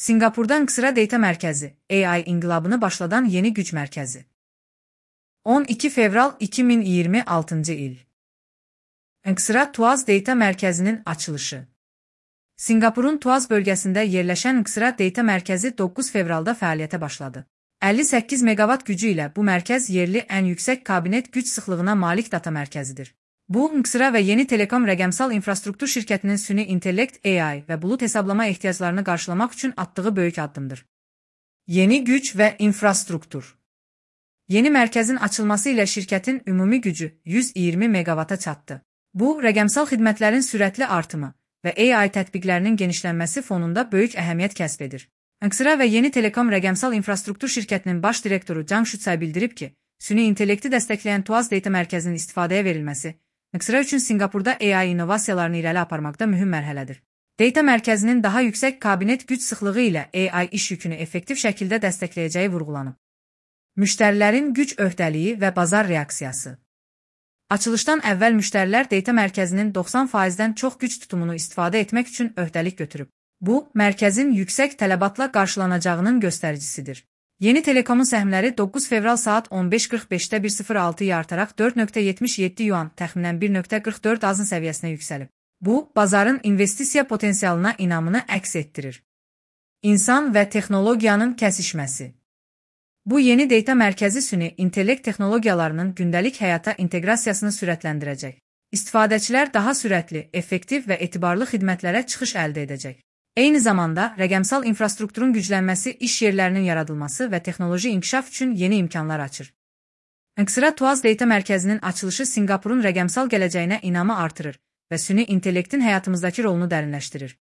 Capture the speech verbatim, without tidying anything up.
Sinqapurda Nxtra Data Mərkəzi, A I inqilabını başladan yeni güc mərkəzi. on iki fevral iki min iyirmi altıncı il. Nxtra Tuaz Data Mərkəzinin açılışı. Sinqapurun Tuaz bölgəsində yerləşən Nxtra Data Mərkəzi doqquz fevralda fəaliyyətə başladı. əlli səkkiz meqavat gücü ilə bu mərkəz yerli ən yüksək kabinet güc sıxlığına malik data mərkəzidir. Bu, Nxtra və Yeni Telekom rəqəmsal infrastruktur şirkətinin süni intellekt, A I və bulut hesablama ehtiyaclarını qarşılamaq üçün atdığı böyük addımdır. Yeni güc və infrastruktur. Yeni mərkəzin açılması ilə şirkətin ümumi gücü yüz iyirmi meqavata çatdı. Bu, rəqəmsal xidmətlərin sürətli artımı və A I tətbiqlərinin genişlənməsi fonunda böyük əhəmiyyət kəsb edir. Nxtra və Yeni Telekom rəqəmsal infrastruktur şirkətinin baş direktoru Cang Şutsay bildirib ki, süni intellekti dəstəkləyən Tuaz Data Mərkəzinin istifadəyə verilməsi Nxtra üçün Sinqapurda A I innovasiyalarını irəli aparmaqda mühüm mərhələdir. Data mərkəzinin daha yüksək kabinet güc sıxlığı ilə A I iş yükünü effektiv şəkildə dəstəkləyəcəyi vurğulanıb. Müştərilərin güc öhdəliyi və bazar reaksiyası. Açılışdan əvvəl müştərilər data mərkəzinin doxsan faizdən çox güc tutumunu istifadə etmək üçün öhdəlik götürüb. Bu, mərkəzin yüksək tələbatla qarşılanacağının göstəricisidir. Yeni Telekomun səhmləri doqquz fevral saat on beş qırx beşdə bir sıfır altıya artaraq dörd nöqtə yetmiş yeddi yuan təxminən bir nöqtə qırx dörd azın səviyyəsinə yüksəlib. Bu, bazarın investisiya potensialına inamını əks etdirir. İnsan və texnologiyanın kəsişməsi. Bu yeni data mərkəzi süni intellekt texnologiyalarının gündəlik həyata inteqrasiyasını sürətləndirəcək. İstifadəçilər daha sürətli, effektiv və etibarlı xidmətlərə çıxış əldə edəcək. Eyni zamanda, rəqəmsal infrastrukturun güclənməsi iş yerlərinin yaradılması və texnoloji inkişaf üçün yeni imkanlar açır. Nxtra Tuaz Data Mərkəzinin açılışı Sinqapurun rəqəmsal gələcəyinə inamı artırır və süni intellektin həyatımızdakı rolunu dərinləşdirir.